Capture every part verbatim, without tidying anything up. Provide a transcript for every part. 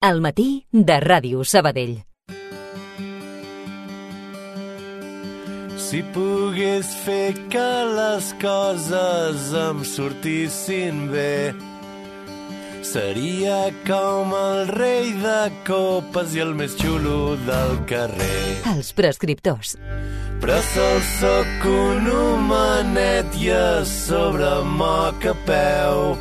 Al matí de Ràdio Sabadell. Si pogués fer que les coses em sortissin bé, seria com el rei de copes i el més xulo del carrer. Els prescriptors. Però sol soc un homenet i a sobre moc a peu.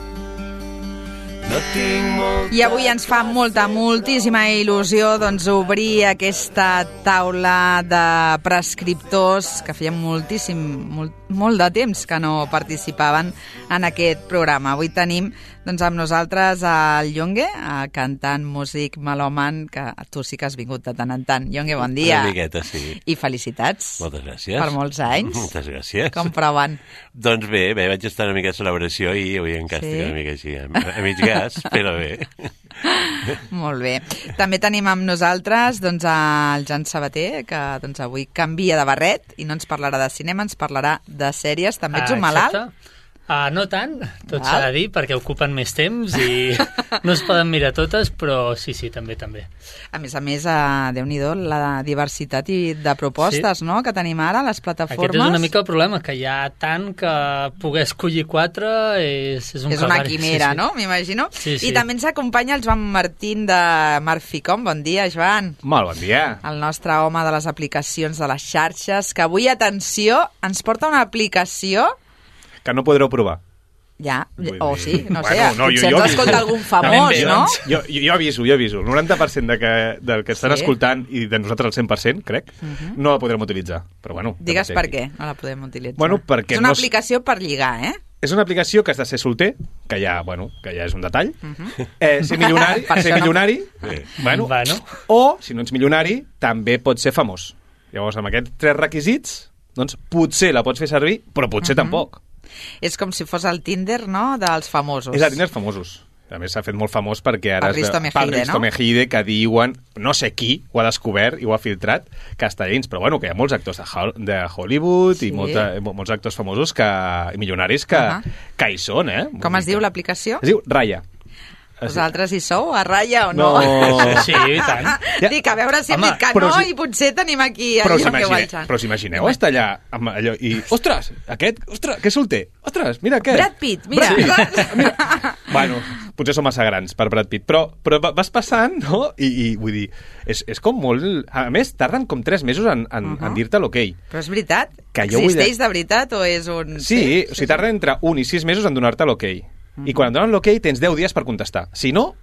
No tinc molt... I avui ens fa molta, moltíssima il·lusió doncs, obrir aquesta taula de prescriptors que feien moltíssim, molt, molt de temps que no participaven en aquest programa. Avui tenim doncs, amb nosaltres el Yongue, cantant, músic, melòman, que tu sí que has vingut de tant en tant. Yongue, bon dia. Una miqueta, sí. I felicitats. Moltes gràcies. Per molts anys. Moltes gràcies. Com proven? Doncs bé, bé, vaig estar una mica de celebració i avui en càstig sí? una mica així, a, a mig gas, però bé. Molt bé. També tenim amb nosaltres doncs, el Jan Sabater, que doncs, avui canvia de barret i no ens parlarà de cinema, ens parlarà de sèries. També ets un malalt? Exacte. Uh, no tant, tot s'ha de dir, perquè ocupen més temps i no es poden mirar totes, però sí, sí, també, també. A més a més, uh, Déu-n'hi-do, la diversitat i de propostes sí. no? que tenim ara a les plataformes. Aquest és una mica el problema, que hi ha tant que poder escollir quatre és, és un És una quimera, sí, sí. no? M'imagino. Sí, sí. I també ens acompanya el Joan Martín de Marficom. Bon dia, Joan. Molt bon dia. El nostre home de les aplicacions de les xarxes, que avui, atenció, ens porta una aplicació... Que no podreu provar. Ja, o sí, no sé, bueno, no, potser jo, jo ens escolta algun famós, jo, no? Jo, jo, jo aviso, jo aviso. El noranta per cent de que, del que estan sí. escoltant, i de nosaltres el cent per cent, crec, uh -huh. no la podrem utilitzar. Però bueno... Digues per què no la podem utilitzar. Bueno, perquè és una no... aplicació per lligar, eh? És una aplicació que has de ser solter, que ja, bueno, que ja és un detall. Uh -huh. eh, ser milionari, ser milionari no... eh, bueno, bueno. o, si no ets milionari, també pots ser famós. Llavors, amb aquests tres requisits, doncs potser la pots fer servir, però potser uh -huh. tampoc. És com si fos el Tinder, no?, dels famosos. És el Tinder famosos. A més, s'ha fet molt famós perquè ara... El Risto Mejide, el Risto no? Mejide, que diuen, no sé qui ho ha descobert i ho ha filtrat, que està dins. Però bueno, que hi ha molts actors de, de Hollywood sí. i molta, molts actors famosos que, i milionaris que, uh -huh. que hi són, eh? Com es diu l'aplicació? Es diu Raya. Vosaltres hi sou, a ratlla o no? No. Sí, i tant. Ja. Dic, a veure si hem dit que no si... i potser tenim aquí però allò si que imagineu, Però si imagineu no. estar allà amb allò i... Ostres, aquest, ostres, que solter. Ostres, mira aquest. Brad Pitt, mira. Brad Pitt. mira. Bueno, potser som massa grans per Brad Pitt, però, però vas passant, no? I, i vull dir, és, és com molt... A més, tarden com tres mesos en, en, uh -huh. en dir-te l'ok. Però és veritat? Que jo Existeix de... de veritat o és un... Sí, sí, o sigui, tarden entre un i sis mesos en donar-te l'ok. Uh -huh. I quan et donen l'ok tens deu dies per contestar. Si no,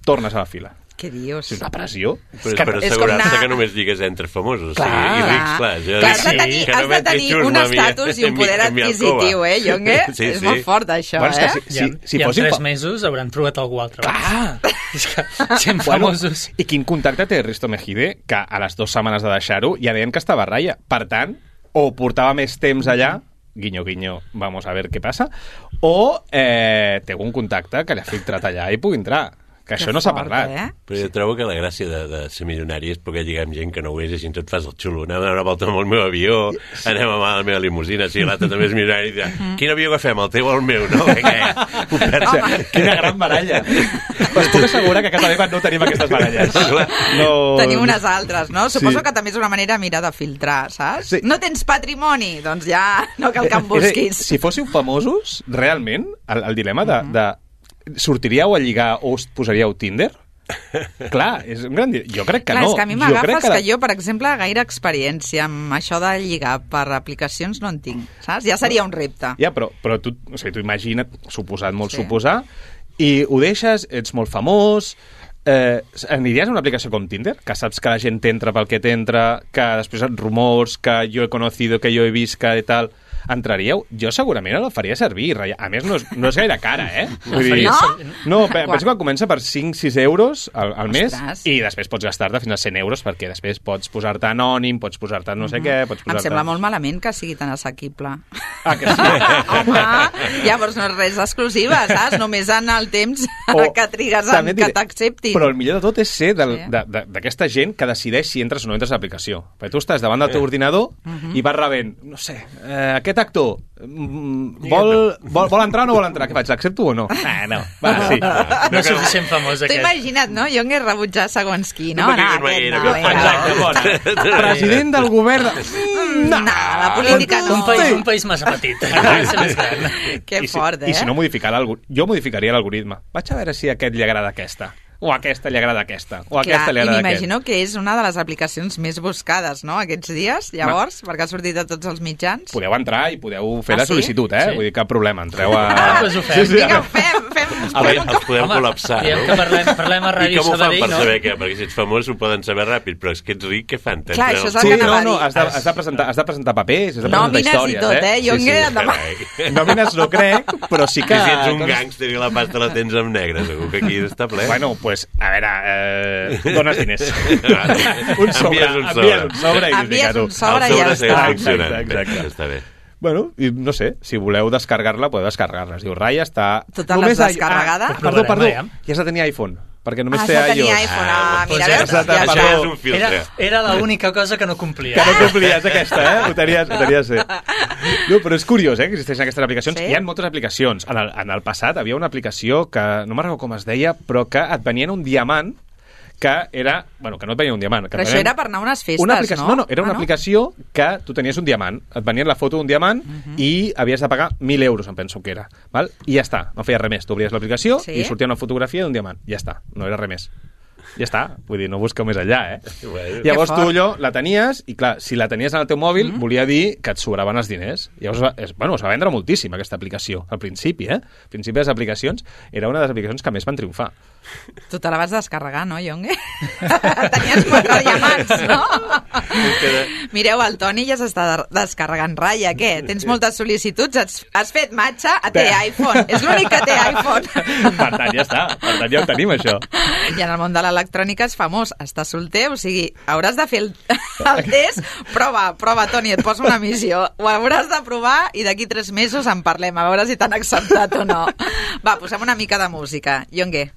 tornes a la fila. Què dius? És una pressió. Però és per assegurar-se anar... que només digues entre famosos. Clar, o sigui, i rics, clar. Ja clar has de tenir, has de tenir un estatus i un poder adquisitiu, eh, Yongue? Sí, és sí. molt fort, això, bueno, eh? Si, si, I, si i en fossin... tres mesos hauran trobat algú altre. Clar! És que sent famosos. Bueno, I quin contacte té Risto Mejide, que a les dues setmanes de deixar-ho ja deien que estava a ratlla. Per tant, o portava més temps allà, guinyo, guinyo, vamos a ver què passa, o eh, té un contacte que li ha filtrat allà i pugui entrar. Que això que no s'ha fort, parlat. Eh? Però jo trobo que la gràcia de, de ser milionari és poder lligar amb gent que no ho és i així tot fas el xulo. Anem a donar una volta amb el meu avió, anem a la meva limusina, si l'altre també és milionari, i dirà, quin avió agafem, el teu o el meu? No? Home, quina gran baralla. Us puc assegurar que a casa meva no tenim aquestes baralles. No... Tenim unes altres, no? Suposo sí. que també és una manera, mira, de filtrar, saps? Sí. No tens patrimoni? Doncs ja no cal que em busquis. Si fóssiu famosos, realment, el, el dilema de... de sortiríeu a lligar o us posaríeu Tinder? Clar, és un gran... Jo crec que Clar, no. És que a mi m'agafes que, que, que jo, per exemple, gaire experiència amb això de lligar per aplicacions no en tinc, saps? Ja seria un repte. Ja, però, però tu, o sigui, tu imagina't, suposat, molt sí. suposar, i ho deixes, ets molt famós... Eh, aniries a una aplicació com Tinder? Que saps que la gent t'entra pel que t'entra, que després et rumors, que jo he conocido, que jo he vist, que i tal... Entraríeu? Jo segurament la faria servir. A més, no és, no és gaire cara, eh? Vull dir, no? No, penso que comença per cinc sis euros al, al mes. Ostres. I després pots gastar-te fins a cent euros perquè després pots posar-te anònim, pots posar-te no sé mm-hmm. què... Pots posar-te... Em sembla molt malament que sigui tan assequible. Ah, que sí? Home, llavors no és res exclusiva, saps? Només en el temps o, que trigues en que t'acceptin. Però el millor de tot és ser d'aquesta sí. gent que decideix si entres o no entres a l'aplicació. Perquè tu estàs davant del teu sí. ordinador mm-hmm. i vas rebent, no sé, eh, aquest aquest actor mm, vol, vol, vol entrar o no vol entrar? Què faig, l'accepto o no? Ah, no, va, sí. No és suficient famós, T'ho aquest. imagina't, no? Jo m'he rebutjat segons qui, no? No, No, perquè aquest no no, era. vinga. Exacte, bona. President del govern... Mm, No, la política no. Un país, un país massa petit. Ha de ser més gran. Que I si, fort, eh? I si no modificar l'algoritme, jo modificaria l'algoritme. Vaig a veure si a aquest li agrada aquesta. O a aquesta li agrada aquesta. O a Clar, aquesta li i agrada aquest. m'imagino que és una de les aplicacions més buscades, no?, aquests dies, llavors, Va. perquè ha sortit a tots els mitjans. Podeu entrar i podeu fer Ah, la sí? sol·licitud, eh? Sí. Vull dir, cap problema. Entreu a... Ah, doncs ho fem. Vinga, fem, fem... A veure, els podem Home, col·lapsar, diem no? que parlem, parlem a I Ràdio com ho fan Sabadell, per no? saber què? Perquè si ets famós ho poden saber ràpid, però és que ets ric, què fan? Clar, això és el Sí, que no, anava a no, dir. has de, has de, presentar, has de presentar papers, has de presentar Nòmines i històries, tot, eh? Jo Sí, sí. enguera... Nòmines no crec, però sí que... Que si ets un gàngster i la pasta la tens amb negre, segur que aquí està ple. Bueno, pues, a veure, eh, dones diners. un sobre, Envies un sobre. envies un sobre i Envies fica tu. un sobre El i ja sobre segueix està. funcionant. Exacte, exacte. Bé, està bé. Bueno, i no sé, si voleu descarregar-la, podeu descarregar-la. Es diu, Raya està... Totes les Només hi- descarregada? Ah, perdó, perdó, Provarem, ja has de tenir iPhone, perquè només Ah, té ja tenia iOS. iPhone. Ah, Ah, mira, doncs veus? ja està, Ja Això està. és un filtre. Era, era l'única cosa que no complia. Que no complies aquesta, eh? Ho tenies, ho tenies bé. No, però és curiós, eh, que existeixen aquestes aplicacions. Sí? Hi ha moltes aplicacions. En el, en el passat havia una aplicació que, no me'n recordo com es deia, però que et venien un diamant que era... Bueno, que no et venia un diamant. Que Però et això venien- era per anar a unes festes, una aplicació, no? no? No, era una Ah, no? aplicació que tu tenies un diamant. Et venien la foto d'un diamant uh -huh. i havies de pagar mil euros, em penso que era. Val? I ja està, no feia res més. Tu obries l'aplicació Sí? i sortia una fotografia d'un diamant. Ja està, no era res més. Ja està, vull dir, no busqueu més enllà, eh? Bueno. Llavors Que tu fort. allò la tenies i, clar, si la tenies en el teu mòbil, mm. volia dir que et sobraven els diners. Llavors, va- es, bueno, es va vendre moltíssim, aquesta aplicació, al principi, eh? Al principi les aplicacions era una de les aplicacions que més van triomfar. Tu te la vas descarregar, no, Jonge? Tenies quatre diamants, no? Mireu, el Toni ja s'està de- descarregant Raya. Què? Tens moltes sol·licituds? Has, has fet matxa? A té iPhone. És l'únic que té iPhone. Per tant, ja està. Per tant, ja ho tenim, això. I en el món de l'electrònica és famós. Estàs solter, o sigui, hauràs de fer el, el test. Prova, prova, Toni, et poso una missió. Ho hauràs de provar i d'aquí tres mesos en parlem, a veure si t'han acceptat o no. Va, posem una mica de música. Jonge,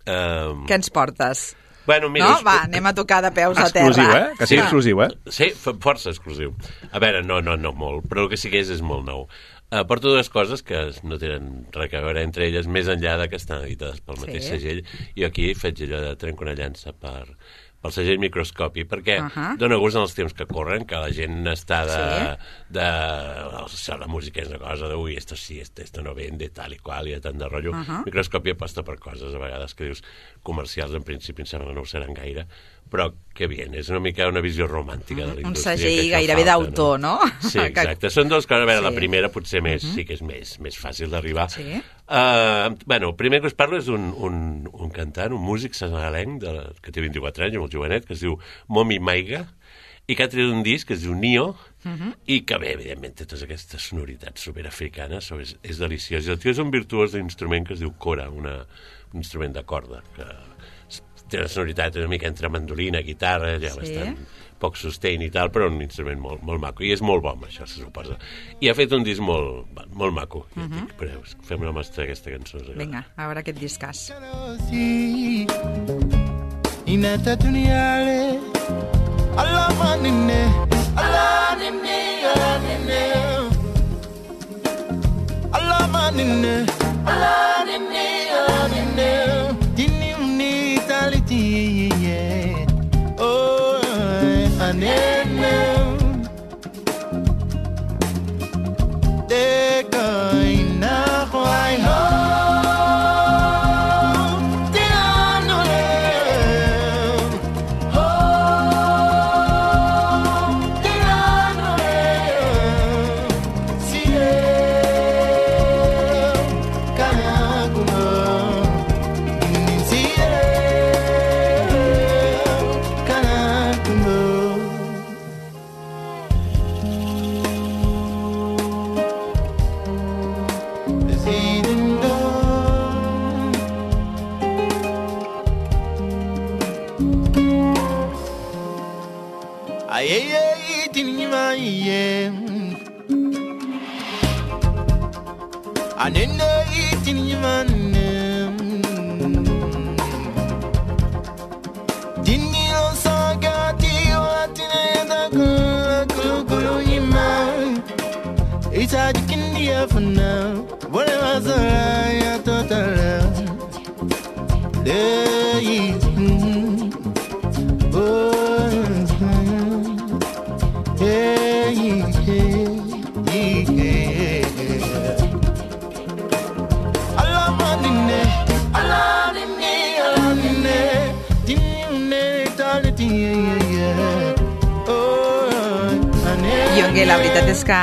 Um, què ens portes? bueno, mira, No? us- Va, anem a tocar de peus a terra. Exclusiu, eh? Que sigui Sí. exclusiu, eh? Sí, fa- força exclusiu. A veure, no, no, no molt, però el que sí que és és molt nou. Uh, porto dues coses que no tenen res a veure entre elles, més enllà de que estan editades pel mateix Sí. segell. I aquí faig allò de trenco una llança per, pel segell Microscopi, perquè uh Ahà. -huh. dona gust en els temps que corren, que la gent està de... Sí. de o sigui, la música és una cosa de, ui, esto sí, esto, esto no vende, tal i qual, i tant de rotllo. Uh -huh. Microscopi aposta per coses, a vegades, que dius comercials, en principi, em sembla que no ho seran gaire, però que bien, és una mica una visió romàntica de la Un indústria. segell que això gairebé falta, d'autor, no? Sí, exacte. Són dues coses. A veure, Sí. la primera potser més, sí que és més, més fàcil d'arribar. Sí. Uh, bueno, el primer que us parlo és un, un, un cantant, un músic senegalenc de, que té vint-i-quatre anys, molt jovenet, que es diu Momi Maiga, i que ha tret un disc que es diu Nio, uh -huh. i que bé, evidentment, té totes aquestes sonoritats superafricanes, so és, és deliciós. I el tio és un virtuós d'instrument que es diu kora, una, un instrument de corda, que té una sonoritat una mica entre mandolina, guitarra, ja Sí. bastant poc sustain i tal, però un instrument molt, molt maco. I és molt bo, això, se suposa. I ha fet un disc molt, molt maco. Uh -huh. dic, però fem una mostra d'aquesta cançó. us agrada. Vinga, a veure aquest discàs. Inata duniale Allah manine Allah nine Allah nine Allah manine Allah nine Allah nine Dini uni taliti oh anene de kaina khwai ho Anene itini manem Dini lo sagati watine da kulu kulu ima for now. Whatever I thought I love. Hey, mm, oh, hey, hey, hey, hey. Allah manine, Allah nine, Allah nine, dinne talenti, yeah. Yongue, la veritat és que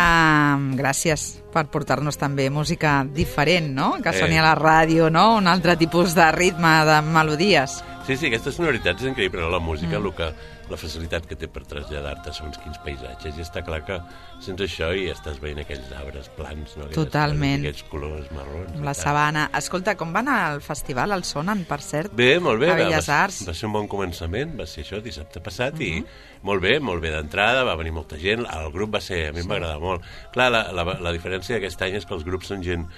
gràcies per portar-nos també música diferent, no? Que soni a la ràdio, no? Un altre tipus de ritme, de melodies. Sí, sí, aquesta sonoritat és increïble, no? La música, mm. el que, la facilitat que té per traslladar-te a segons quins paisatges, i està clar que sense això i estàs veient aquells arbres plans, no? Aquelles Totalment. Aquells colors marrons. Amb la sabana. Escolta, com va anar el festival, el Sonen, per cert? Bé, molt bé. A Belles va, Arts. Va ser un bon començament, va ser això dissabte passat, uh -huh. i molt bé, molt bé d'entrada, va venir molta gent, el grup va ser, a mi sí. m'agrada molt. Clar, la, la, la diferència d'aquest any és que els grups són gent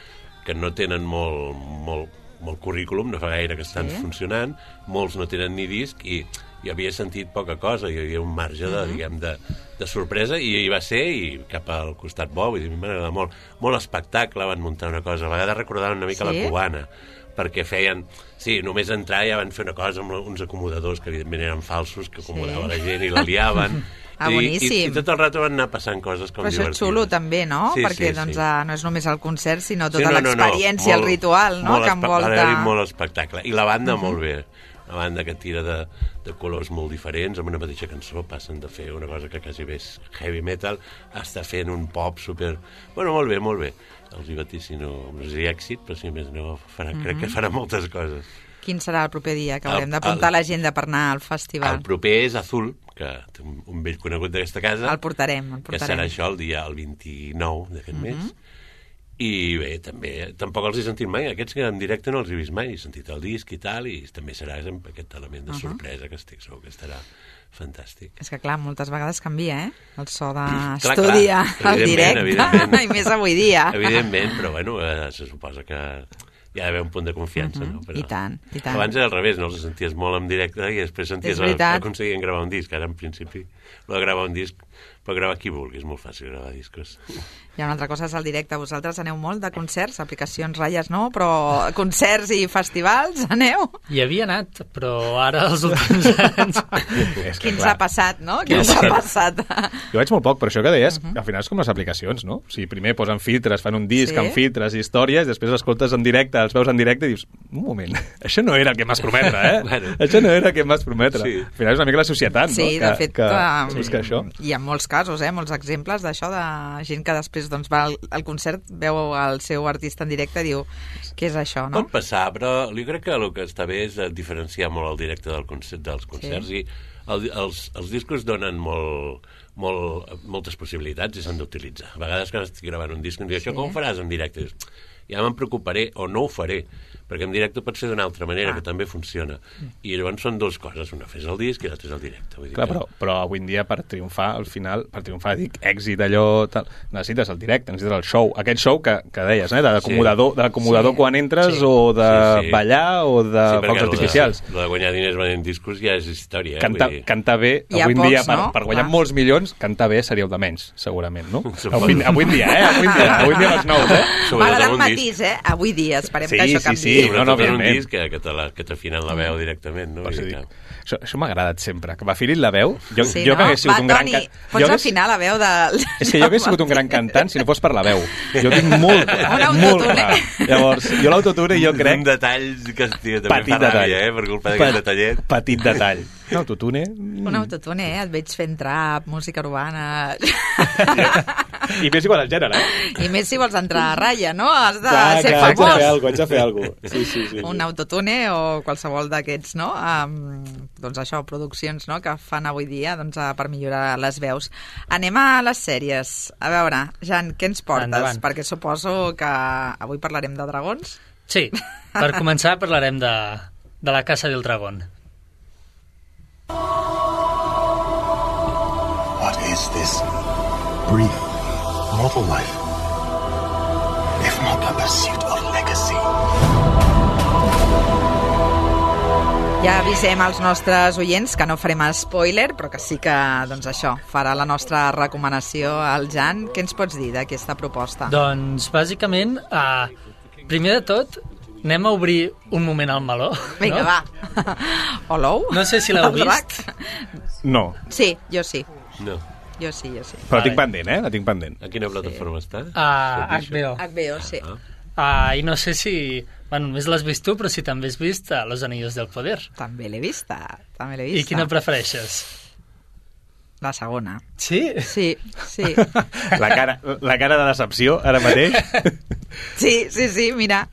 que no tenen molt, molt, molt currículum, no fa gaire que estan sí. funcionant, molts no tenen ni disc, i hi havia sentit poca cosa, hi havia un marge de, uh -huh. diguem, de, de sorpresa, i hi va ser, i cap al costat bo, vull dir, a mi m'agrada molt. Molt espectacle, van muntar una cosa, a vegades recordaven una mica sí? la cubana, perquè feien... Sí, només entrar ja van fer una cosa amb uns acomodadors que evidentment eren falsos, que acomodaven sí. la gent i la liaven. Ah, boníssim. I, i, I tot el rato van anar passant coses com divertides. Però això és xulo també, no? Sí, Perquè sí, doncs, sí. no és només el concert, sinó tota sí, no, no, l'experiència, no, el ritual, no? Molt que envolta... Molt espectacle. I la banda, uh -huh. molt bé. Una banda que tira de, de colors molt diferents, amb una mateixa cançó passen de fer una cosa que quasi bé és heavy metal, a estar fent un pop super... Bueno, molt bé, molt bé. Els hi vaticino, no sé èxit, però si més no, farà, mm-hmm. crec que farà moltes coses. Quin serà el proper dia que haurem d'apuntar a l'agenda per anar al festival? El proper és Azul, que té un, un vell conegut d'aquesta casa. El portarem, el portarem. Que serà això el dia el vint-i-nou d'aquest mm-hmm. mes. I bé, també, tampoc els he sentit mai. Aquests que en directe no els he vist mai. He sentit el disc i tal, i també serà aquest element de uh -huh. sorpresa que estic segur que estarà fantàstic. És que, clar, moltes vegades canvia, eh? El so d'estudi al directe, i més avui dia. Evidentment, però bueno, eh, se suposa que hi ha d'haver un punt de confiança, uh -huh. no? Però I tant, i tant. Abans era al revés, no? Els senties molt en directe i després senties que aconseguien gravar un disc. Ara, en principi, el de gravar un disc, però gravar qui vulgui, és molt fàcil gravar discos. Hi ha una altra cosa, és el directe. Vosaltres aneu molt de concerts, aplicacions, ratlles no, però concerts i festivals, aneu? Hi havia anat, però ara els últims anys... Quin s'ha passat, no? Quin s'ha passat? Jo vaig molt poc, però això que deies, uh -huh. al final és com les aplicacions, no? O sigui, primer posen filtres, fan un disc sí? amb filtres i històries, després escoltes en directe, els veus en directe i dius, un moment, això no era el que em vas prometre, eh? bueno. Això no era el que em vas prometre. Sí. Al final és una mica la societat, no? Sí, de fet, que, que, que, sí. que això... hi ha molts casos, eh? Molts exemples d'això, de gent que després doncs, va al, al concert, veu el seu artista en directe i diu, què és això, no? Pot passar, però jo crec que el que està bé és diferenciar molt el directe del concert, dels concerts sí. i el, els, els discos donen molt, molt, moltes possibilitats i s'han d'utilitzar. A vegades quan estic gravant un disc em diu, això sí. com ho faràs en directe? Ja me'n preocuparé o no ho faré, perquè en directe pot ser d'una altra manera, ah. que també funciona. I llavors són dues coses, una fes el disc i l'altra és el directe. Vull dir Clar, que... però, però avui en dia per triomfar, al final, per triomfar, dic, èxit, allò, tal, necessites el directe, necessites el show. Aquest show que, que deies, eh, de l'acomodador, sí. de l'acomodador sí. quan entres, sí. o de sí, sí. ballar, o de sí, focs artificials. El de, de guanyar diners venent discos ja és història. Eh? Cantar, dir... cantar bé, avui en dia, per, no? per guanyar ah. molts milions, cantar bé seria el de menys, segurament, no? avui, avui en dia, eh? Avui en dia, avui en dia les nous, eh? M'agrada el matís, eh? Avui dia, esperem sí, que això sí, canvi. Sí, sí, no, no, òbviament. Que, que, te la, que t'afinen la veu directament, no? Sí, això això m'ha agradat sempre, que m'afilin la veu. Jo, sí, jo no? que hagués sigut Va, un gran... Toni, pots hagués... afinar la veu de... És que jo hagués sigut un gran cantant si no fos per la veu. Jo tinc molt, molt clar. Llavors, jo l'autotune jo crec... Un detall que estic, també fa ràbia, eh? Per culpa d'aquest detallet. Petit detall. Un autotune... Un autotune, eh? Et veig fent trap, música urbana... I més igual al gènere, eh? I més si vols entrar a ratlla, no? Has de clar, ser clar, famós. Haig de fer alguna cosa, haig de fer alguna cosa. Sí, sí, sí, un sí. autotune o qualsevol d'aquests, no? Um, doncs això, produccions, no?, que fan avui dia doncs, per millorar les veus. Anem a les sèries. A veure, Jan, què ens portes? Endavant. Perquè suposo que avui parlarem de dragons. Sí, per començar parlarem de, de la Casa del Dragón. What is this? Breathing. Mortal life. If not the pursuit of legacy. Ja avisem als nostres oients que no farem spoiler, però que sí que, doncs això, farà la nostra recomanació al Jan. Què ens pots dir d'aquesta proposta? Doncs, bàsicament, uh, primer de tot, anem a obrir un moment al meló. Vinga, no? va. Olou? No sé si l'heu El drac? vist. No, Sí, jo sí. No. Jo sí, jo sí. però la Vale. tinc pendent, eh? La tinc pendent. A quina plataforma està? A H B O. H B O, sí. Uh, I no sé si... Bueno, només l'has vist tu, però si també has vist uh, Los Anillos del Poder. També l'he vista, també l'he I vista. quina prefereixes? La segona. Sí? Sí, sí. La cara, la cara de decepció, ara mateix. Sí, sí, sí, mira.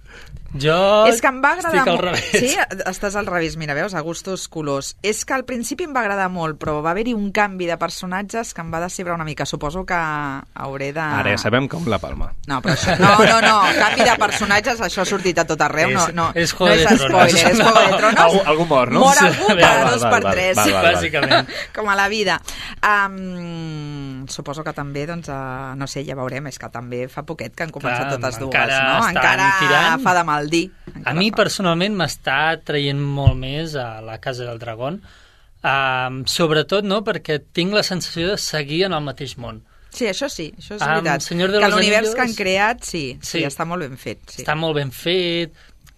Jo És que em va agradar estic al molt. revés. Sí, estàs al revés, mira, veus, a gustos colors. És que al principi em va agradar molt, però va haver-hi un canvi de personatges que em va decebre una mica. Suposo que hauré de... Ara ja sabem com la palma. No, però això... No, no, no, canvi de personatges, això ha sortit a tot arreu. No, És- no, és no Juego és de Tronos. spoiler, és Juego de Tronos. Algú, algú mor, no? Mor algú Val, cada val, dos val, per val, tres. val, val, val. Bàsicament. Com a la vida. Um, suposo que també, doncs, uh, no sé, ja veurem, és que també fa poquet que han començat Clar, totes dues, encara no? estan Encara tirant. fa de mal dir. A mi, personalment, m'està traient molt més a la Casa del Dragón, um, sobretot no perquè tinc la sensació de seguir en el mateix món. Sí, això sí, això és Amb veritat. Senyor de que los l'univers Anillos- que han creat, sí, sí, Sí. està molt ben fet. Sí. Està molt ben fet,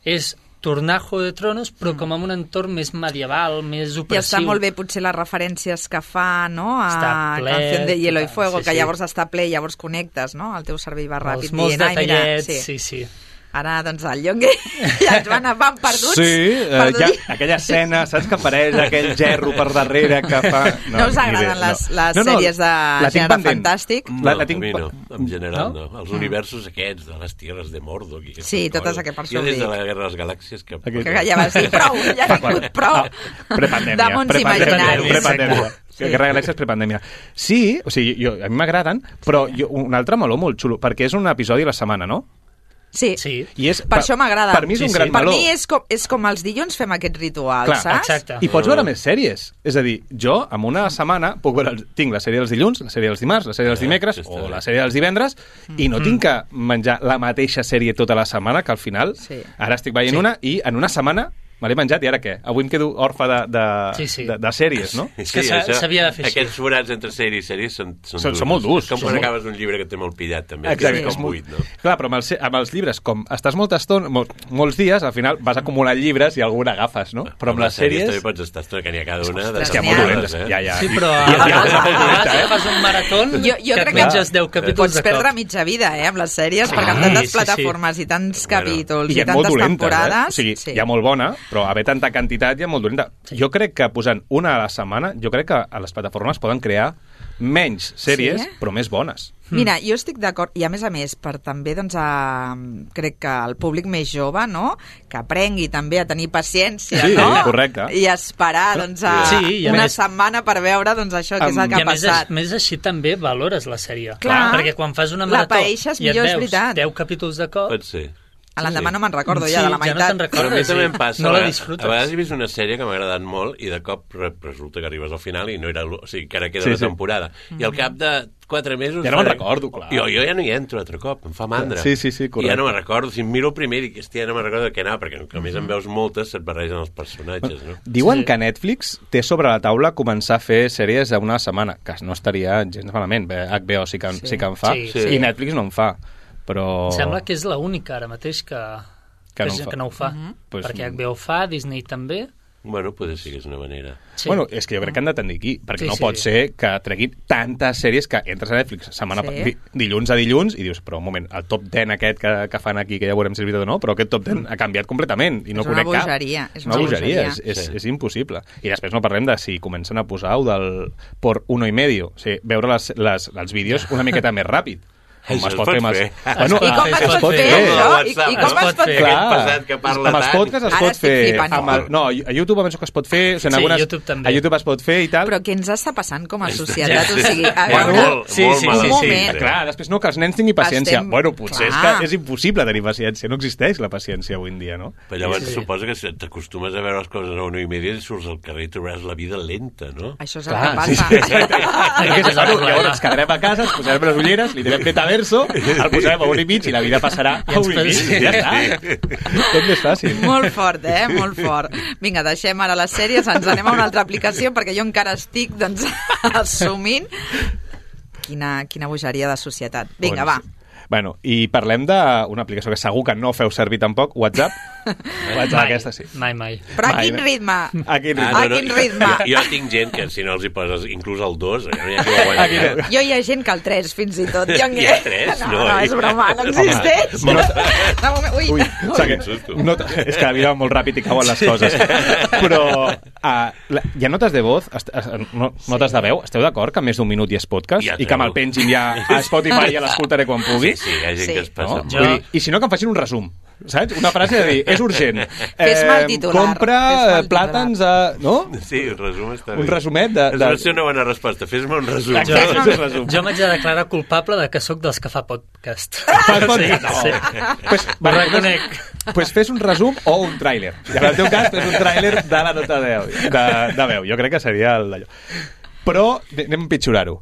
és tornar Juego de Tronos, però com en un entorn més medieval, més I opressiu. està molt bé potser les referències que fa, no?, a Està ple, Canción de Hielo y total, Fuego, sí, que sí. llavors està ple i llavors connectes, no?, el teu cervell va ràpid Els molts dient, ai, mira, detallets, sí. sí, sí. Ara, doncs, el Llongue ja ens van, van perduts. Sí, eh, perduts. ja, aquella escena, saps que apareix aquell gerro per darrere que fa... No us ni agraden idea, les- les sèries de la tinc gènere pendent. fantàstic? No, La, la a tinc... mi no, en general No? no. Els universos aquests de les tierres de Mordor... I Sí, totes aquestes, per Jo això des ho de dic. la Guerra de les Galàxies que... Aquest- Que ja vas dir prou, ja n'ha hagut prou Ah, prepandèmia. de mons prepandèmia, imaginaris. prepandèmia. Sí. Guerra de Galàxies prepandèmia. Sí, o sigui, jo, a mi m'agraden, però jo, un altre meló molt xulo, perquè és un episodi a la setmana, no? Sí. Sí. I és, Per això m'agrada. Per mi és Sí, un sí. gran Per meló. mi és com, és com els dilluns fem aquest ritual, Clar, saps? exacte. I pots veure més sèries. És a dir, jo, en una setmana, puc veure, el- tinc la sèrie dels dilluns, la sèrie dels dimarts, la sèrie dels Eh, dimecres sí, està o bé. la sèrie dels divendres, i no tinc que menjar la mateixa sèrie tota la setmana, que al final, Sí. ara estic veient Sí. una, i en una setmana me l'he menjat, i ara què? Avui em quedo orfe de, de, Sí, sí. de, de sèries, no? És que s'ha- això- s'havia de fer així. Aquests forats entre sèrie i sèrie són, són, Són- són molt durs. Com Són quan molt- acabes un llibre que té molt pillat, també. Exacte, que és és com molt... buit, no? Clar, però amb els, amb els llibres, com estàs molta estona, mol, molts dies, al final vas acumulant llibres i algun agafes, no? Però amb les sèries... també pots estar estona, que n'hi ha cada una de Ostres, Ja, n'hi molt ha. dolentes. eh? Ja, ja. Sí, però I- a i- i- vegades, a dolenta, vegades eh? fas un marató Jo, jo que crec et que menges deu capítols pots de perdre cop. mitja vida, eh, amb les sèries, perquè amb Sí, tantes sí, sí. plataformes i tants Bueno, capítols I i, hi ha molt tantes dolentes, temporades... eh? O sigui, sí. hi ha molt bona, però haver tanta quantitat hi ha molt dolenta. Sí. Jo crec que posant una a la setmana, jo crec que a les plataformes poden crear menys sèries, Sí? però més bones. Mira, jo estic d'acord, i a més a més, per també, doncs, a, crec que el públic més jove, no?, que aprengui també a tenir paciència, Sí, no? correcte. I esperar, doncs, a Sí, i a una més- setmana per veure, doncs, això, què és el Amb- que I ha a més, passat. més així també valores la sèrie. Clar. Perquè quan fas una La marató paeixes i et millor, és veus veritat. deu capítols de cop, Pot ser. A l'endemà Sí. no me'n recordo Sí, ja de la ja no meitat. te'n recordes. Però a mi també sí. em passa. No a la vegades- disfrutes. A vegades he vist una sèrie que m'ha agradat molt i de cop re- resulta que arribes al final i no era... l- O sigui, que ara queda Sí, una sí. temporada. I al cap de quatre mesos... Ja no me'n faré- recordo, clar. Jo, jo ja no hi entro altre cop, em fa mandra. Sí, sí, sí, I correcte. ja no me'n recordo. Si em miro el primer i dic, hòstia, no me'n recordo de què anava, perquè a més en veus moltes, se't barregen els personatges, no? Diuen Sí. que Netflix té sobre la taula començar a fer sèries a una setmana, que no estaria gens malament. Bé, H B O sí que, sí. sí que en fa, Sí, sí. i Netflix no en fa. Però... Em sembla que és l'única ara mateix que, Que que, no no, ho fa. que no ho fa. Pues- Perquè H B O fa, Disney també. Bueno, potser sí que és una manera. Sí. Bueno, és que jo crec que han de tendir aquí, perquè Sí, no sí. pot ser que treguin tantes sèries que entres a Netflix setmana Sí. sí. di, dilluns a dilluns i dius, però un moment, el top deu aquest que, que fan aquí, que ja veurem si és veritat o no, però aquest top deu ha canviat completament i no És una conec cap. bogeria, és una una bogeria, bogeria. és, és, Sí. és impossible. I després no parlem de si comencen a posar o del por uno y medio, o sigui, veure les, les, els vídeos una miqueta més ràpid. Com Això es es pot pot fer. amb els- fer. Bueno, I com es es pot pot fer. fer, Com això? a I, i WhatsApp, com no? es pot Es pot fer? fer. Aquest passat que parla amb els tant. podcasts es Ara pot estic fer. flipant Amb el, molt. no, a YouTube penso que es pot fer. O sigui, en Sí, algunes, YouTube també. A YouTube es pot fer i tal. Però què ens està passant com a societat? Ja, O sigui, a Bueno, veure... molt, Sí, molt sí, mal sí, Un sí. moment. Clar, després no, que els nens tinguin paciència. Estem- Bueno, potser Clar. és que és impossible tenir paciència. No existeix la paciència avui en dia, no? Però llavors Sí, sí. suposo que si t'acostumes a veure les coses a una i media i surts al carrer i trobaràs la vida lenta, no? Això és el Clar, que sí, passa. sí, exacte. Aquest és el Bueno, problema. llavors ens quedarem a casa, ens posarem les ulleres, li direm vete a ver verso, el posarem a un i mig i la vida passarà a un i mig. Sí. Ja està. Tot més fàcil. Molt fort, eh? Molt fort. Vinga, deixem ara les sèries, ens anem a una altra aplicació perquè jo encara estic, doncs, assumint quina, quina bogeria de societat. Vinga, va. Bueno, i parlem d'una aplicació que segur que no feu servir tampoc, WhatsApp. WhatsApp, Mai, aquesta sí. mai, mai. Però a Mai, quin no? ritme? A quin ritme? Ah, A quin ritme? Jo, jo tinc gent que si no els hi poses inclús el dos, no hi ha qui ho aguanti. Aquí no. Jo hi ha gent que el tres, fins i tot. Jo Hi ha tres? No, No, no, és broma, no existeix. No, De moment, ui, Ui, ui. sabe, Quin susto. no, és que la vida va molt ràpid i cauen les coses. Però uh, la, hi ha notes de voz, est, est, no, notes de veu, esteu d'acord que més d'un minut i és podcast? Ja, I que me'l pengin ja a Spotify i ja l'escoltaré quan pugui? Sí, sí, hi ha gent Sí. que es passa. No? No? Jo- Vull dir, I si no, que em facin un resum. Saps? Una frase de dir, és urgent. Fes-me el titular, Compra fes-me el eh, plàtans a... No? Sí, el resum està Un bé. resumet de... És de... una- una bona resposta. Fes-me un resum. Jo, Jo, un resum. jo m'haig de declarar culpable de que sóc dels que fa podcast. Fas podcast? Sí, sí. Pues, Ho vale, reconec. pues fes un resum o un tràiler. I en el teu cas, fes un tràiler de la nota de, de, de veu. Jo crec que seria el d'allò. Però anem a empitjorar-ho.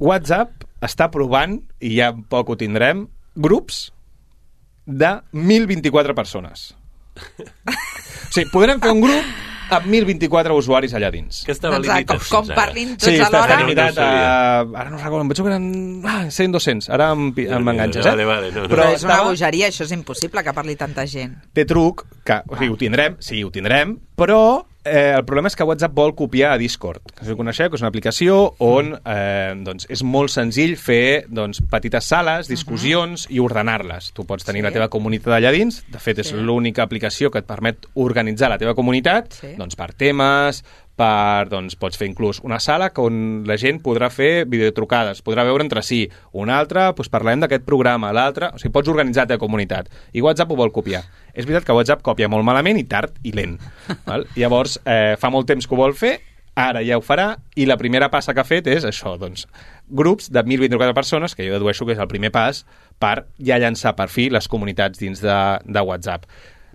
WhatsApp està provant, i ja poc ho tindrem, grups de mil vint-i-quatre persones. O sigui, podrem fer un grup amb mil vint-i-quatre usuaris allà dins. Doncs, Que estava com, limitat com fins ara. parlin tots Sí, està, està alhora... No, no limitat ho a... sabia. Ara no recordo, em penso que eren ah, cent dos-cents. Ara em, pi- em enganxes, eh? Vale, vale, no, no. Però Però és una estava- bogeria, això és impossible que parli tanta gent. Té truc, que o sigui, ho tindrem, sí, ho tindrem, però eh, el problema és que WhatsApp vol copiar a Discord, que si ho coneixeu, que és una aplicació on eh, doncs, és molt senzill fer doncs, petites sales, discussions uh -huh. i ordenar-les. Tu pots tenir Sí. la teva comunitat allà dins, de fet és Sí. l'única aplicació que et permet organitzar la teva comunitat Sí. doncs, per temes, per, doncs, pots fer inclús una sala on la gent podrà fer videotrucades, podrà veure entre si. Una altra, doncs parlem d'aquest programa, l'altra... O sigui, pots organitzar la teva comunitat. I WhatsApp ho vol copiar. És veritat que WhatsApp copia molt malament i tard i lent. Val? Llavors, eh, fa molt temps que ho vol fer, ara ja ho farà, i la primera passa que ha fet és això, doncs, grups de mil vint-i-quatre persones, que jo dedueixo que és el primer pas per ja llançar per fi les comunitats dins de, de WhatsApp.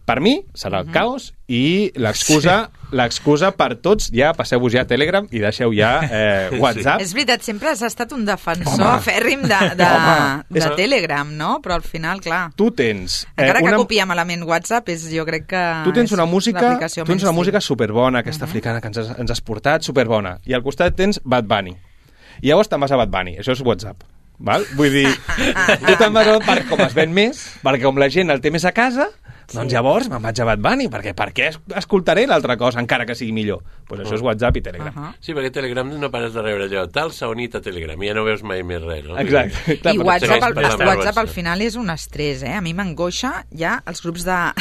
Per mi serà el caos i l'excusa sí. l'excusa per tots, ja passeu-vos ja a Telegram i deixeu ja eh, WhatsApp. És veritat, sempre has estat un defensor Home. fèrrim de, de, Home, de és- Telegram, no? Però al final, clar... Tu tens... Encara que una... copia malament WhatsApp, és, jo crec que... Tu tens una és música, l'aplicació tu tens una mainstream. música superbona, aquesta uh -huh. africana que ens has, ens has portat, superbona. I al costat tens Bad Bunny. I llavors te'n vas a Bad Bunny. Això és WhatsApp. Val? Vull dir, tu te'n vas a... Per, com es ven més, perquè com la gent el té més a casa, doncs llavors me'n vaig a Bad Bunny, perquè per què es- escoltaré l'altra cosa, encara que sigui millor? Doncs pues això és WhatsApp i Telegram. Uh -huh. Sí, perquè Telegram no pares de rebre allò. Tal s'ha unit a Telegram i ja no veus mai més res, no? Exacte. Clar, I però WhatsApp, segueix al, per la WhatsApp vergonya. al final és un estrès, eh? A mi m'angoixa ja els grups de,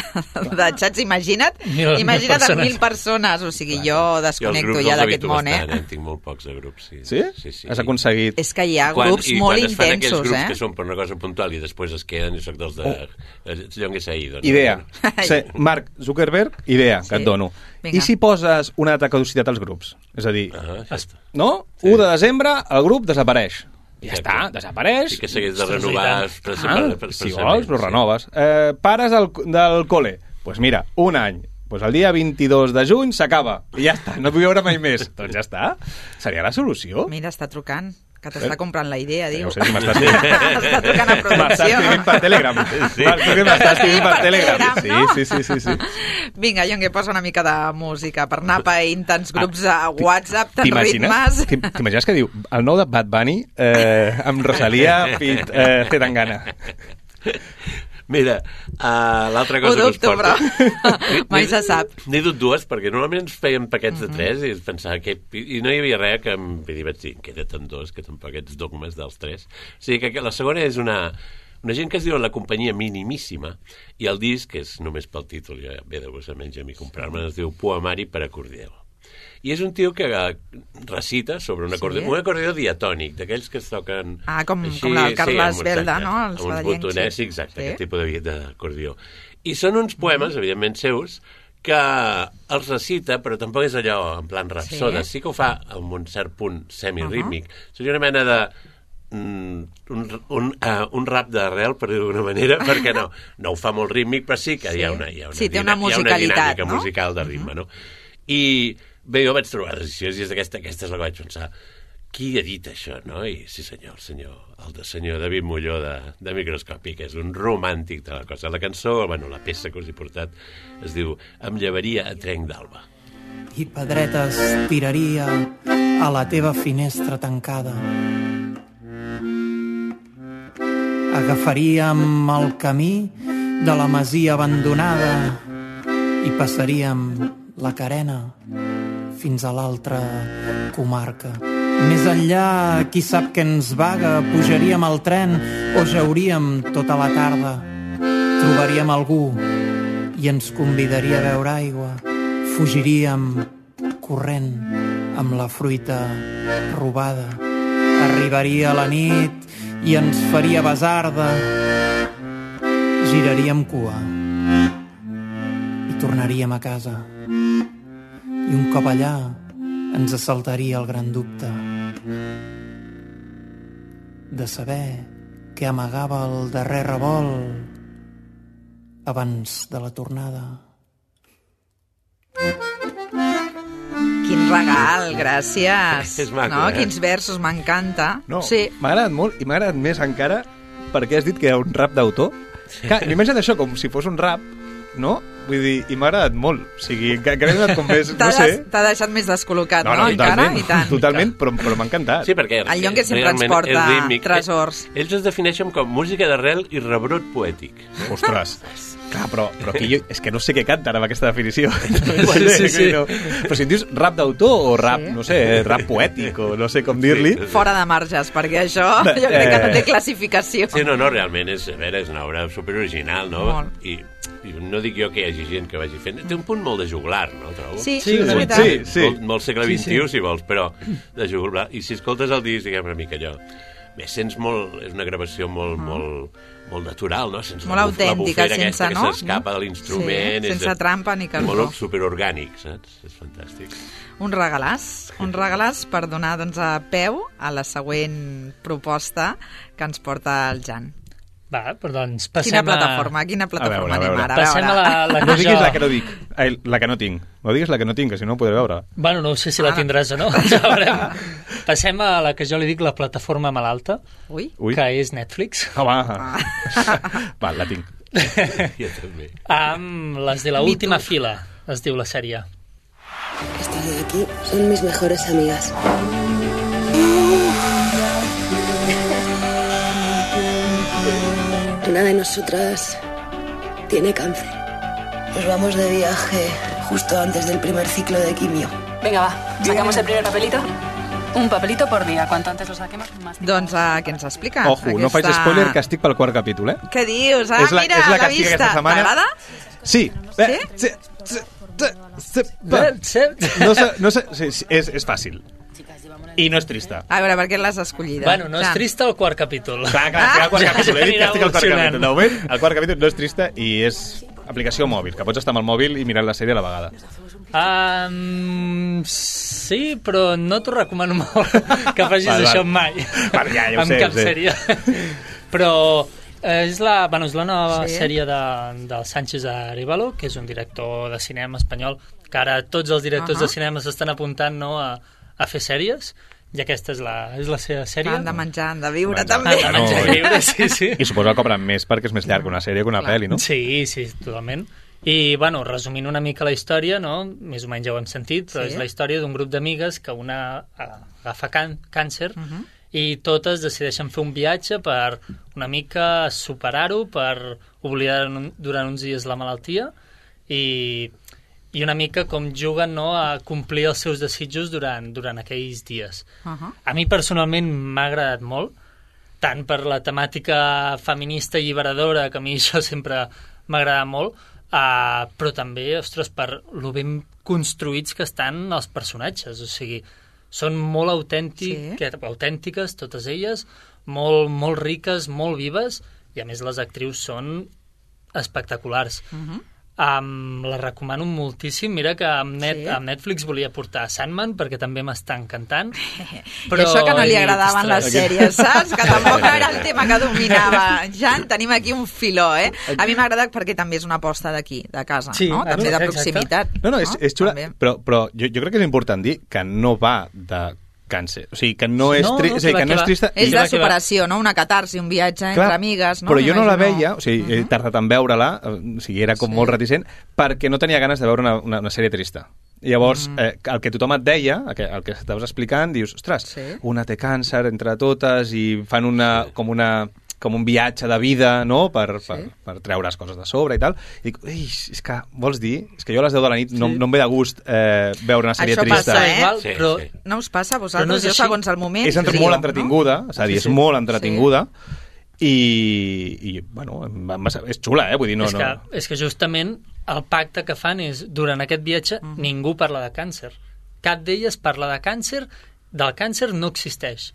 de xats. Imagina't, Mil- mil imagina't amb persones. mil persones. O sigui, jo Jo els desconnecto grups ja els d'aquest evito món, eh? bastant, eh? Tinc molt pocs de grups, sí. Sí? Sí, sí. Has aconseguit... És que hi ha Quan- grups i molt quan es fan aquells intensos, grups eh? que són per una cosa puntual i després es queden, jo soc dels de... Oh. Jo què sé ahir, doncs. Idea. Ai. Sí, Marc Zuckerberg, idea, Sí. que et dono. Vinga. I si poses una data de caducitat als grups? És a dir, Ah, ja està. no? u de desembre, el grup desapareix. Ja Exacte. està, desapareix. I que s'hagués de Ostres, renovar... i Per, Ah, per, per, si vols, però renoves. Eh, pares del, del col·le. Doncs pues mira, un any. Pues el dia vint-i-dos de juny s'acaba. I ja està, no vull veure mai més. Doncs ja està. Seria la solució. Mira, està trucant, que t'està comprant la idea, diu. No sé si m'estàs dient. Està trucant a M'està producció. escrivint per Telegram. Sí. Marc, tu que m'estàs escrivint per Per Telegram. Telegram, no? Sí, sí, sí, sí, sí. Vinga, jo em poso una mica de música per anar païnt tants grups a WhatsApp, tants T'imagines? ritmes. T'im- T'imagines que diu el nou de Bad Bunny eh, amb Rosalia fit eh, Zetangana. Mira, uh, l'altra Ho cosa dubto, que us porto... però mai se sap. N'he dut dues, perquè normalment ens feien paquets Mhm. de tres i es pensava que... I no hi havia res que em vull dir, vaig dir, queda't amb dos, que tampoc ets dogmes dels tres. O sigui que que la segona és una... Una gent que es diu La companyia minimíssima i el disc, que és només pel títol, ja ve de vos a menys a mi comprar-me, es diu Poemari per acordió. I és un tio que eh, recita sobre un acordió, Sí? un acordió diatònic, d'aquells que es toquen... Ah, com- com el Carles amb- Belda, exacte, no? El Amb uns sabadellenc, botonets, sí. sí, exacte, Sí. aquest tipus de- d'acordió. I són uns poemes, evidentment seus, que els recita, però tampoc és allò en plan rapsoda. Sí. Sí que ho fa amb un cert punt semirítmic. Seria una mena de... mm, un, un, uh, un rap d'arrel, per dir-ho d'alguna manera, perquè no, no ho fa molt rítmic, però sí que Sí. hi ha una, hi ha una, Sí, té una dina- hi ha una musicalitat, dinàmica no? musical de ritme, no? I bé, jo vaig trobar decisions i és aquesta, aquesta és la que vaig pensar. qui ha dit això, no? I sí senyor, el senyor, el de senyor David Molló de, de Microscopi, que és un romàntic de la cosa. La cançó, bueno, la peça que us he portat, es diu Em llevaria a trenc d'alba. I pedretes tiraria a la teva finestra tancada. Agafaríem el camí de la masia abandonada i passaríem la carena fins a l'altra comarca. Més enllà, qui sap què ens vaga, pujaríem al tren o jauríem tota la tarda. Trobaríem algú i ens convidaria a beure aigua. Fugiríem corrent amb la fruita robada. Arribaria la nit i ens faria basarda. Giraríem cua i tornaríem a casa. I un cop allà ens assaltaria el gran dubte de saber què amagava el darrer revolt abans de la tornada. Quin regal, gràcies. És maco, no? eh? Quins versos, m'encanta. No, Sí. m'ha agradat molt i m'ha agradat més encara perquè has dit que era un rap d'autor. Clar, m'he imaginat això com si fos un rap, no? Vull dir, i m'ha agradat molt. O sigui, que, que m'he donat com més, T'ha no sé... des- t'ha deixat més descol·locat, no? totalment, Encara? I tant. totalment, però, però m'ha encantat. Sí, perquè El Llongue sempre ens realment porta és rítmic. tresors. Ells es defineixen com música d'arrel i rebrot poètic. Ostres, clar, però, però aquí jo, és que no sé què canten amb aquesta definició. Sí, sí, sí. No. Però si em dius rap d'autor o rap, Sí. no sé, rap poètic o no sé com dir-li... Sí. Fora de marges, perquè això jo crec que no té classificació. Sí, no, no, realment és, a veure, és una obra superoriginal, no? Molt. I, I no dic jo que hi hagi gent que vagi fent... Té un punt molt de juglar, no, trobo? Sí, Sí, és una veritat. Sí, sí. Molt, molt segle Sí, vint-i-u, sí. si vols, però de juglar. I si escoltes el disc, diguem una mica allò... Bé, sents molt... És una gravació molt, molt, molt natural, no? Sents Molt la buf- la autèntica, bufera aquesta sense, no? que s'escapa de l'instrument. Sí, és sense de- trampa ni cartó. Molt superorgànic, saps? És fantàstic. Un regalàs, un regalàs per donar doncs, a peu a la següent proposta que ens porta el Jan. Va, però doncs passem Quina plataforma, quina A plataforma veure, a anem veure. ara? a... Passem a la, la No que diguis jo... la que no dic, Ai, la que no tinc. No diguis la que no tinc, que si no ho podré veure. Bueno, no sé si la Ara. tindràs o no, ja veurem. Passem a la que jo li dic la plataforma malalta, Ui, Ui. que és Netflix. Home, va, la tinc. Jo també. Amb les de la Me última too. fila, es diu la sèrie. Estas de aquí son mis mejores amigas. Una de nosotras tiene cáncer. Nos vamos de viaje justo antes del primer ciclo de quimio. Venga, va. ¿Sacamos el primer papelito? Un papelito por día. Cuanto antes lo saquemos, más tiempo. doncs uh, què ens explica? Ojo, no faig spoiler, que estic pel quart capítol, eh? Què dius? Ah, És la- mira, és la l'ha que estic vista. aquesta setmana. T'agrada? Sí. Eh, sí? sí, sí, sí, va. No sé, no sé, sí, sí, és, és fàcil. I no és trista. A veure, per què l'has escollida? Bueno, no és Jan. trista el quart capítol. Clar, clar, estic al quart Ja, capítol. He dit que ja estic al quart evolucionant. capítol. De moment, el quart capítol no és trista i és aplicació mòbil, que pots estar amb el mòbil i mirar la sèrie a la vegada. Um, sí, però no t'ho recomano molt que facis Val, val. això mai. Vale, ja, ja ho amb sé, cap ho sé. sèrie. Però eh, és la, bueno, és la nova Sí. sèrie de, del Sánchez Arevalo, que és un director de cinema espanyol, que ara tots els directors Ahà. de cinema s'estan apuntant, no, a, a fer sèries, i aquesta és la, és la seva sèrie. Han de menjar, han de viure, Menjar. també. Han de menjar No. i viure, sí, sí. I suposo que cobren més perquè és més llarg una sèrie que una Clar. pel·li, no? Sí, sí, totalment. I, bueno, resumint una mica la història, no? Més o menys ja ho hem sentit, però Sí. és la història d'un grup d'amigues que una eh, agafa can càncer Uh -huh. i totes decideixen fer un viatge per una mica superar-ho, per oblidar un, durant uns dies la malaltia i, i una mica com juguen, no, a complir els seus desitjos durant, durant aquells dies. Uh -huh. A mi personalment m'ha agradat molt, tant per la temàtica feminista i alliberadora, que a mi això sempre m'agrada molt, uh, però també, ostres, per lo ben construïts que estan els personatges, o sigui, són molt autèntic, Sí. autèntiques totes elles, molt, molt riques, molt vives, i a més les actrius són espectaculars. Uh -huh. Um, la recomano moltíssim. Mira que amb, net, Sí. amb Netflix volia portar Sandman perquè també m'està encantant. Però... I això que no li he dit, agradaven les ostres, sèries, saps? Que tampoc era el tema que dominava. Jan, tenim aquí un filó, eh? A mi m'ha agradat perquè també és una aposta d'aquí, de casa, Sí, no? També de exacte. proximitat. No, no, és, és xula, També. però, però jo, jo crec que és important dir que no va de càncer. O sigui, que no és, No, tri... no, o sigui, que que no va, és trista. És I- de superació, no? Una catarsi, un viatge Clar, entre amigues, no? però jo no la M'imagino. veia, o sigui, he tardat en veure-la, o sigui, era com Sí. molt reticent, perquè no tenia ganes de veure una, una, una sèrie trista. Llavors, mm. eh, el que tothom et deia, el que, el que estaves explicant, dius, ostres, Sí. una té càncer entre totes i fan una, com una com un viatge de vida, no?, per, Sí. per, per treure's coses de sobre i tal. I dic, ei, és que, vols dir? És que jo a les deu de la nit no, Sí. no em ve de gust eh, veure una sèrie Això trista. passa, eh? Igual, Sí, però sí. No us passa a Però vosaltres? no és Jo, així. segons el moment, És entre trio, molt no? entretinguda, és a dir, Sí, és sí. molt entretinguda, i, i bueno, em va- em va- és xula, eh? Vull dir, no... és, que, no... és que justament el pacte que fan és, durant aquest viatge, Mhm. ningú parla de càncer. Cap d'elles parla de càncer, del càncer no existeix.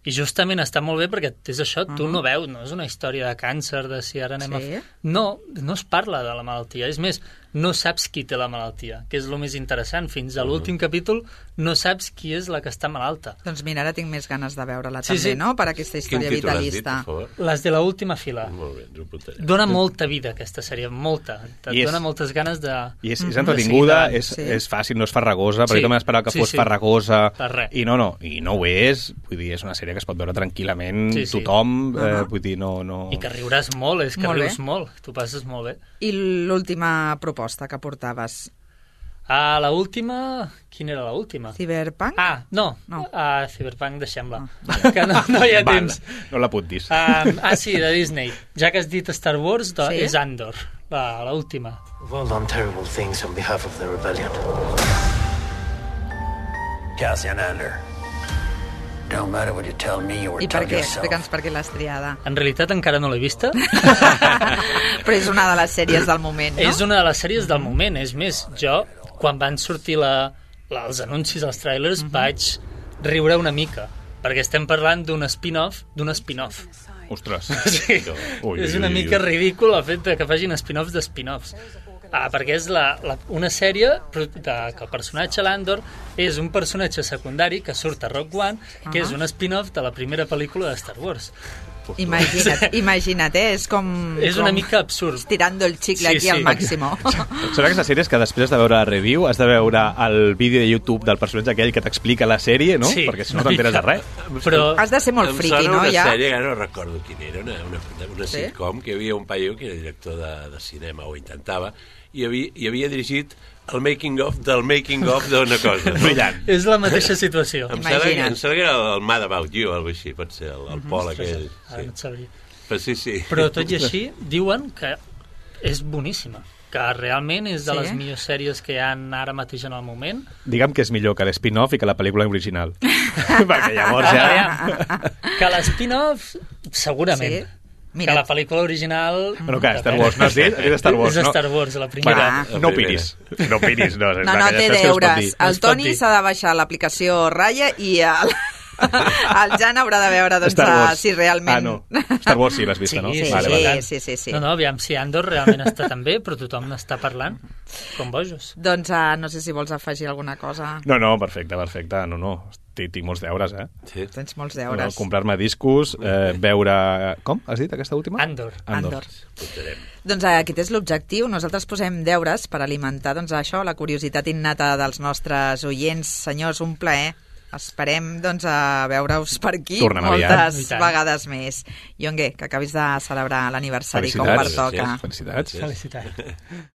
I justament està molt bé perquè és això, tu no veus, no és una història de càncer, de si ara anem Sí. a... No, no es parla de la malaltia. És més, no saps qui té la malaltia, que és el més interessant. Fins a l'últim capítol no saps qui és la que està malalta. Doncs mira, ara tinc més ganes de veure-la Sí, també, sí. no?, per aquesta Quin història títol has dit, vitalista. per favor? Les de l'última fila. Molt bé, ens ho apuntarem. Dona molta vida, aquesta sèrie, molta. Et I és- dona moltes ganes de... I és, és de entretinguda, seguir és, Sí. és fàcil, no és farragosa, perquè Sí. jo m'esperava que Sí, fos sí. farragosa. Per res. I no, no, i no ho és. Vull dir, és una sèrie que es pot veure tranquil·lament Sí, sí. tothom. Eh, Uh-huh. vull dir, no... no... I que riuràs molt, és que Molt bé. rius molt. Tu passes molt bé. I l'última proposta que portaves? Ah, la última... Quina era la última? Cyberpunk? Ah, no. No. Ah, Cyberpunk, deixem-la. Que no, no hi ha Val, temps. no l'apuntis. Um, ah, sí, de Disney. Ja que has dit Star Wars, de, Sí? és Andor, la, la última. We've all done terrible things on behalf of the rebellion. Cassian Andor. Don't matter what you tell me or I per tell què? yourself. Explica'ns per què l'has triada. En realitat encara no l'he vista. Però és una de les sèries del moment, no? És una de les sèries del moment. És més, jo, quan van sortir la, la, els anuncis, els trailers, Mhm. vaig riure una mica, perquè estem parlant d'un spin-off d'un spin-off. Ostres. Sí. Ui, És ui, una ui, mica ui. ridícul el fet de que facin spin-offs de spin-offs. Ah, perquè és la, la, una sèrie però de, que el personatge Landor és un personatge secundari que surt a Rogue One, que Ah. és un spin-off de la primera pel·lícula de Star Wars. Imagina't, imagina't, eh? És com... És com una mica absurd. Estirando el chicle Sí, aquí sí. al màximo. Són aquestes sèries que després de veure la review has de veure el vídeo de YouTube del personatge aquell que t'explica la sèrie, no? Sí, Perquè si no una t'enteres de mica. res. Però Has de ser molt Em friqui, sona no? una Ja. sèrie, ara no recordo quina era, una, una, una Sí? sitcom, que hi havia un paio que era director de, de cinema, o intentava, i havia, i havia dirigit el making-of del making-of d'una cosa. No? Brillant. és la mateixa situació. Em sembla, que, Imagina't. em sembla que era el Mad About You, o alguna així, pot ser, el, el Pol aquell. Ara no Sí. et sabria. Però sí, sí. Però tot i així, diuen que és boníssima, que realment és de Sí? les millors sèries que hi ha ara mateix en el moment. Digue'm que és millor que l'spin-off i que la pel·lícula original. Perquè llavors ja... Aviam, que l'spin-off, segurament. Sí? Que Mira, la pel·lícula original... Bueno, que Star Wars, no has dit? Has dit Star Wars, és no? Star Wars, la primera. Va, no opinis. No opinis, no. no, no té deures. No El es pot Toni dir. s'ha de baixar l'aplicació Raya i el, el Jan haurà de veure doncs, Star Wars. uh, si realment... Ah, no. Star Wars sí l'has vista, Sí, no? sí, Sí, vale, sí, vale. sí, sí, sí. No, no, aviam si Andor realment està tan bé, però tothom n'està parlant com bojos. Doncs uh, no sé si vols afegir alguna cosa. No, no, perfecte, perfecte. No, no. Tinc, tinc molts deures, eh? Sí. Tens molts No, deures. comprar-me discos, eh, veure... Com has dit, aquesta última? Andor. Andor. Doncs uh, aquest és l'objectiu. Nosaltres posem deures per alimentar doncs, això, la curiositat innata dels nostres oients. Senyors, un plaer. Esperem doncs, a veure-us per aquí Tornem aviat. moltes I tant. vegades més. Yongue, que acabis de celebrar l'aniversari com Felicitats. pertoca. Felicitats. Felicitats.